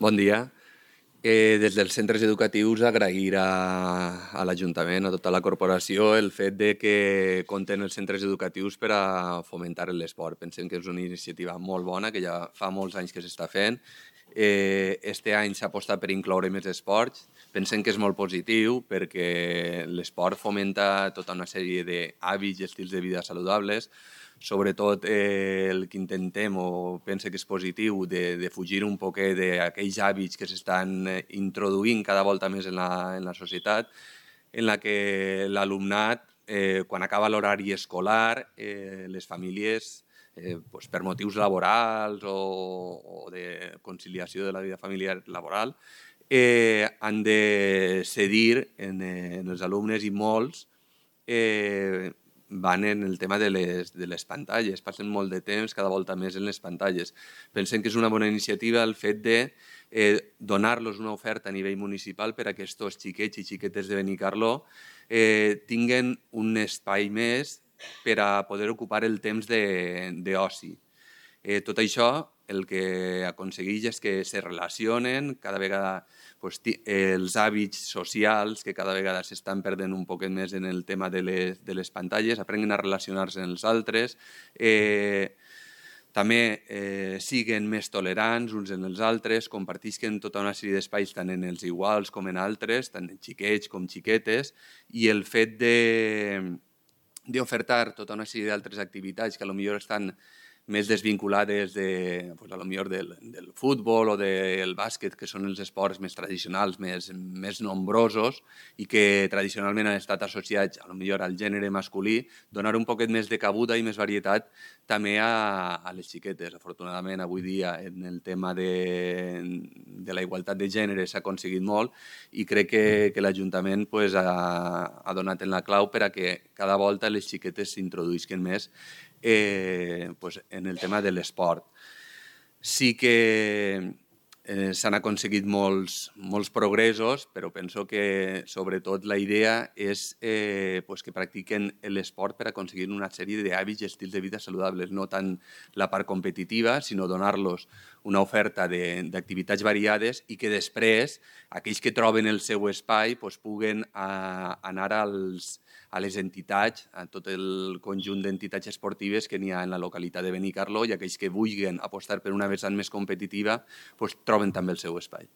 Bon dia. Des dels centres educatius agrair a l'Ajuntament, a tota la corporació, el fet de que compten els centres educatius per a fomentar l'esport. Pensem que és una iniciativa molt bona, que ja fa molts anys que s'està fent. Este any s'ha apostat per incloure més esports. Pensem que és molt positiu perquè l'esport fomenta tota una sèrie d'hàbits i estils de vida saludables. Sobretot el que intentem, o pense que és positiu, de fugir un poquet d'aquells hàbits que s'estan introduint cada volta més en la societat, en la que l'alumnat, quan acaba l'horari escolar, les famílies, per motius laborals o de conciliació de la vida familiar laboral, han de cedir en els alumnes, i molts van en el tema de les pantalles, passen molt de temps cada volta més en les pantalles. Pensem que és una bona iniciativa el fet de donar-los una oferta a nivell municipal per a que aquests xiquets i xiquetes de Benicarló tinguen un espai més per a poder ocupar el temps d'oci. Tot això el que aconsegueix és que se relacionen cada vegada els hàbits socials, que cada vegada s'estan perdent un poquet més en el tema de les pantalles, aprenguen a relacionar-se amb els altres, també siguen més tolerants uns en els altres, compartisquen tota una sèrie d'espais tant en els iguals com en altres, tant en xiquets com xiquetes, i el fet d'ofertar tota una sèrie d'altres activitats que potser estan més desvinculades del futbol o del bàsquet, que són els esports més tradicionals, més nombrosos i que tradicionalment han estat associats potser al gènere masculí, donar un poquet més de cabuda i més varietat també a les xiquetes. Afortunadament, avui dia, en el tema de la igualtat de gènere s'ha aconseguit molt i crec que l'Ajuntament ha donat en la clau per a que cada volta les xiquetes s'introduïsquen més en el tema de l'esport. Sí que s'han aconseguit molts progressos, però penso que sobretot la idea és que practiquen l'esport per aconseguir una sèrie d'hàbits i estils de vida saludables, no tant la part competitiva, sinó donar-los una oferta d'activitats variades i que després aquells que troben el seu espai puguen anar a les entitats, a tot el conjunt d'entitats esportives que n'hi ha en la localitat de Benicarló, i aquells que vulguin apostar per una vessant més competitiva troben també el seu espai.